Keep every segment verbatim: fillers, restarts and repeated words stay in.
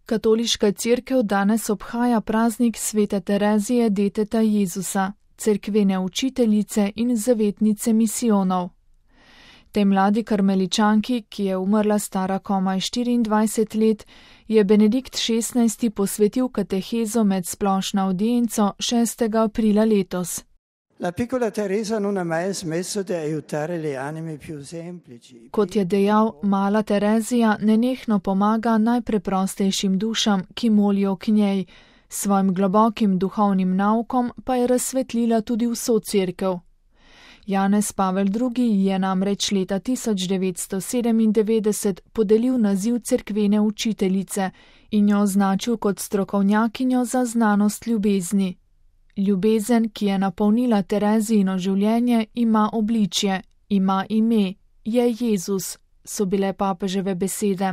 Katoliška cerkev danes obhaja praznik svete Terezije deteta Jezusa, cerkvene učiteljice in zavetnice misijonov. Tej mladi karmeličanki, ki je umrla stara komaj štiriindvajset let, je Benedikt šestnajsti posvetil katehezo med splošno avdienco šestega aprila letos. Kot je dejal, mala Terezija nenehno pomaga najpreprostejšim dušam, ki molijo k njej, svojim globokim duhovnim naukom pa je razsvetlila tudi vso cerkev. Janez Pavel drugi je namreč leta tisoč devetsto sedemindevetdeset podelil naziv cerkvene učiteljice in jo označil kot strokovnjakinjo za znanost ljubezni. Ljubezen, ki je napolnila Terezijino življenje, ima obličje, ima ime, je Jezus, so bile papeževe besede.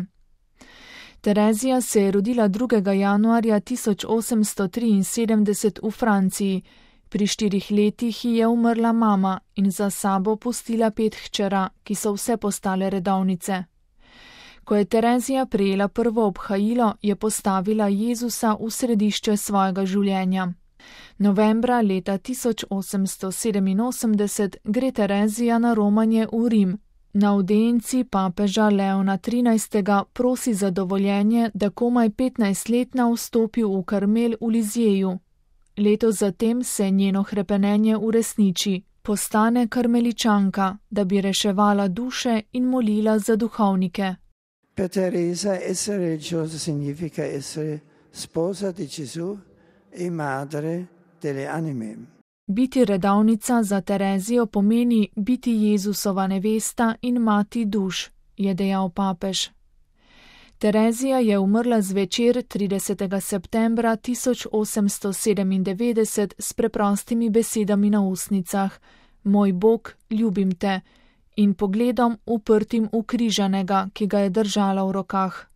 Terezija se je rodila drugega januarja tisoč osemsto triinsedemdeset v Franciji. Pri štirih letih ji je umrla mama in za sabo pustila pet hčera, ki so vse postale redovnice. Ko je Terezija prejela prvo obhajilo, je postavila Jezusa v središče svojega življenja. Novembra leta tisoč osemsto sedeminosemdeset gre Terezija na romanje v Rim. Na avdienci papeža Leona trinajstega prosi za dovoljenje, da komaj petnajstletna vstopi v Karmel v Lizjeju. Leto zatem se njeno hrepenenje uresniči, postane karmeličanka, da bi reševala duše in molila za duhovnike. Per Teresa essere religiosa significa essere sposa di Gesù e madre delle anime. Biti redovnica za Terezijo pomeni biti Jezusova nevesta in mati duš, je dejal papež. Terezija je umrla zvečer tridesetega septembra tisoč osemsto sedemindevetdeset s preprostimi besedami na ustnicah: Moj Bog, ljubim te, in pogledom uprtim v križanega, ki ga je držala v rokah.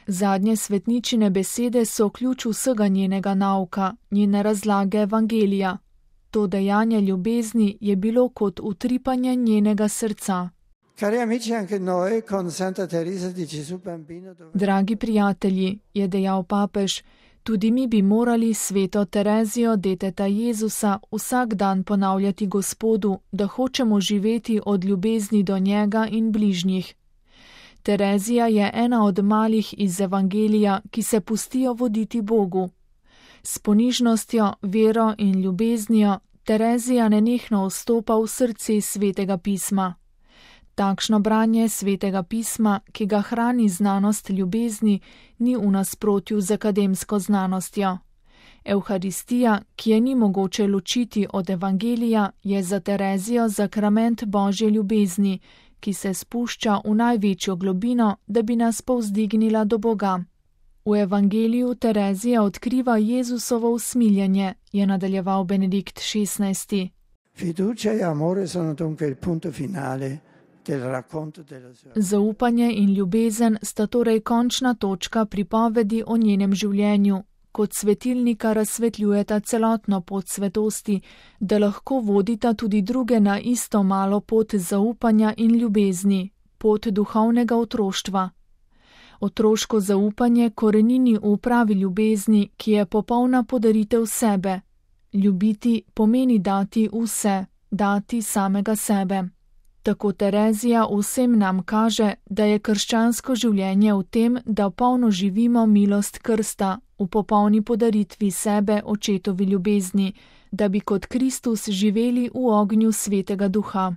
Zadnje svetničine besede so ključ vsega njenega nauka, njene razlage evangelija. To dejanje ljubezni je bilo kot utripanje njenega srca. Dragi prijatelji, je dejal papež, tudi mi bi morali sveto Terezijo deteta Jezusa vsak dan ponavljati Gospodu, da hočemo živeti od ljubezni do njega in bližnjih. Terezija je ena od malih iz evangelija, ki se pustijo voditi Bogu. S ponižnostjo, vero in ljubeznijo Terezija nenehno vstopa v srce svetega pisma. Takšno branje svetega pisma, ki ga hrani znanost ljubezni, ni v nasprotju z akademsko znanostjo. Evharistija, ki je ni mogoče ločiti od evangelija, je za Terezijo zakrament Božje ljubezni, ki se spušča v največjo globino, da bi nas povzdignila do Boga. V evangeliju Terezija odkriva Jezusovo usmiljenje, je nadaljeval Benedikt šestnajsti. Fiducia e amore sono dunque il punto finale. Zaupanje in ljubezen sta torej končna točka pripovedi o njenem življenju, kot svetilnika razsvetljujeta celotno pot svetosti, da lahko vodita tudi druge na isto malo pot zaupanja in ljubezni, pot duhovnega otroštva. Otroško zaupanje korenini v pravi ljubezni, ki je popolna podaritev sebe. Ljubiti pomeni dati vse, dati samega sebe. Tako Terezija vsem nam kaže, da je krščansko življenje v tem, da polno živimo milost krsta, v popolni podaritvi sebe očetovi ljubezni, da bi kot Kristus živeli v ognju svetega duha.